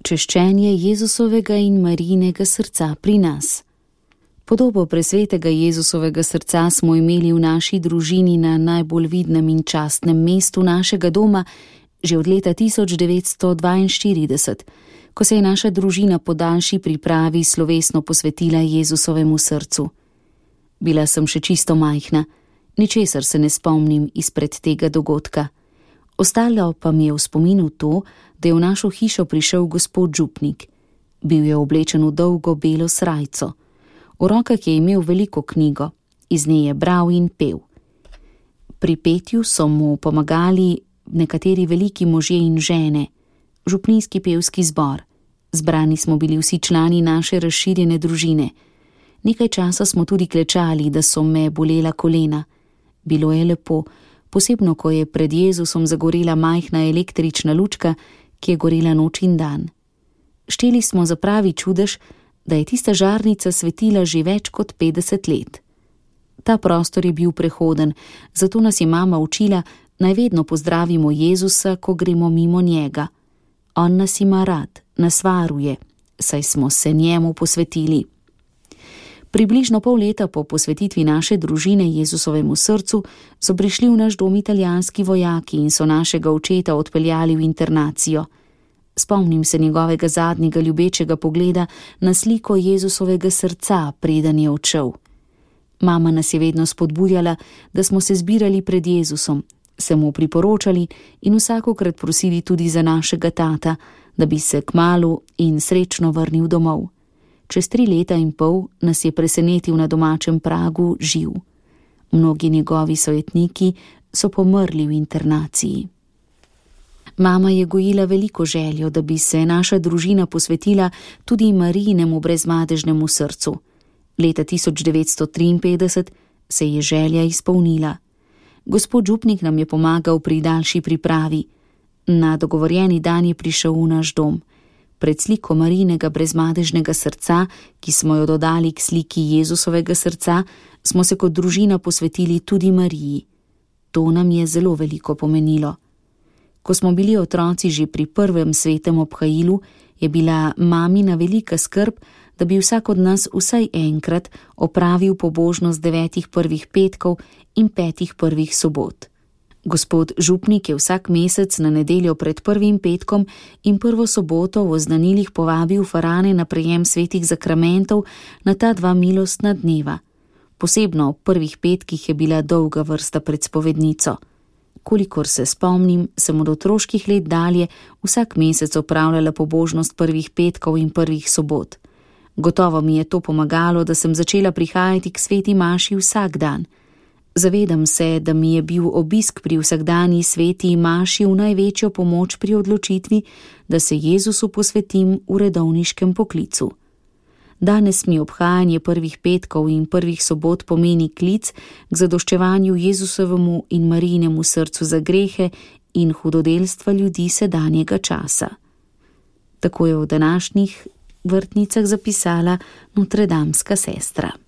Češčenje Jezusovega in Marijinega srca pri nas. Podobo presvetega Jezusovega srca smo imeli v naši družini na najbolj vidnem in častnem mestu našega doma že od leta 1942, ko se je naša družina po daljši pripravi slovesno posvetila Jezusovemu srcu. Bila sem še čisto majhna, ničesar se ne spomnim izpred tega dogodka. Ostalo pa mi je v spominu to, da je v našo hišo prišel gospod župnik. Bil je oblečen v dolgo belo srajco. V rokah je imel veliko knjigo, iz nje je bral in pel. Pri petju so mu pomagali nekateri veliki možje in žene, župnijski pevski zbor. Zbrani smo bili vsi člani naše razširjene družine. Nekaj časa smo tudi klečali, da so me bolela kolena. Bilo je lepo, posebno ko je pred Jezusom zagorela majhna električna lučka, ki je gorela noč in dan. Šteli smo za pravi čudež, da je tista žarnica svetila že več kot 50 let. Ta prostor je bil prehoden, zato nas je mama učila, naj vedno pozdravimo Jezusa, ko gremo mimo njega. On nas ima rad, nas varuje, saj smo se njemu posvetili. Približno pol leta po posvetitvi naše družine Jezusovemu srcu so prišli v naš dom italijanski vojaki in so našega očeta odpeljali v internacijo. Spomnim se njegovega zadnjega ljubečega pogleda na sliko Jezusovega srca, preden je odšel. Mama nas je vedno spodbujala, da smo se zbirali pred Jezusom, se mu priporočali in vsakokrat prosili tudi za našega tata, da bi se kmalu in srečno vrnil domov. Čez 3 leta in pol nas je presenetil na domačem pragu živ. Mnogi njegovi sojetniki so pomrli v internaciji. Mama je gojila veliko željo, da bi se naša družina posvetila tudi Marijinemu brezmadežnemu srcu. Leta 1953 se je želja izpolnila. Gospod župnik nam je pomagal pri daljši pripravi. Na dogovorjeni dan je prišel v naš dom. Pred sliko Marijinega brezmadežnega srca, ki smo jo dodali k sliki Jezusovega srca, smo se kot družina posvetili tudi Mariji. To nam je zelo veliko pomenilo. Ko smo bili otroci že pri prvem svetem obhajilu, je bila mamina velika skrb, da bi vsak od nas vsaj enkrat opravil pobožnost 9 prvih petkov in 5 prvih sobot. Gospod župnik je vsak mesec na nedeljo pred prvim petkom in prvo soboto v oznanilih povabil farane na prejem svetih zakramentov na ta 2 milostna dneva. Posebno ob prvih petkih je bila dolga vrsta pred spovednico. Kolikor se spomnim, sem od otroških let dalje vsak mesec opravljala pobožnost prvih petkov in prvih sobot. Gotovo mi je to pomagalo, da sem začela prihajati k sveti maši vsak dan. Zavedam se, da mi je bil obisk pri vsakdanji sveti maši v največjo pomoč pri odločitvi, da se Jezusu posvetim v redovniškem poklicu. Danes mi obhajanje prvih petkov in prvih sobot pomeni klic k zadoščevanju Jezusovemu in Marijinemu srcu za grehe in hudodelstva ljudi sedanjega časa. Tako je v današnjih vrtnicah zapisala notredamska sestra.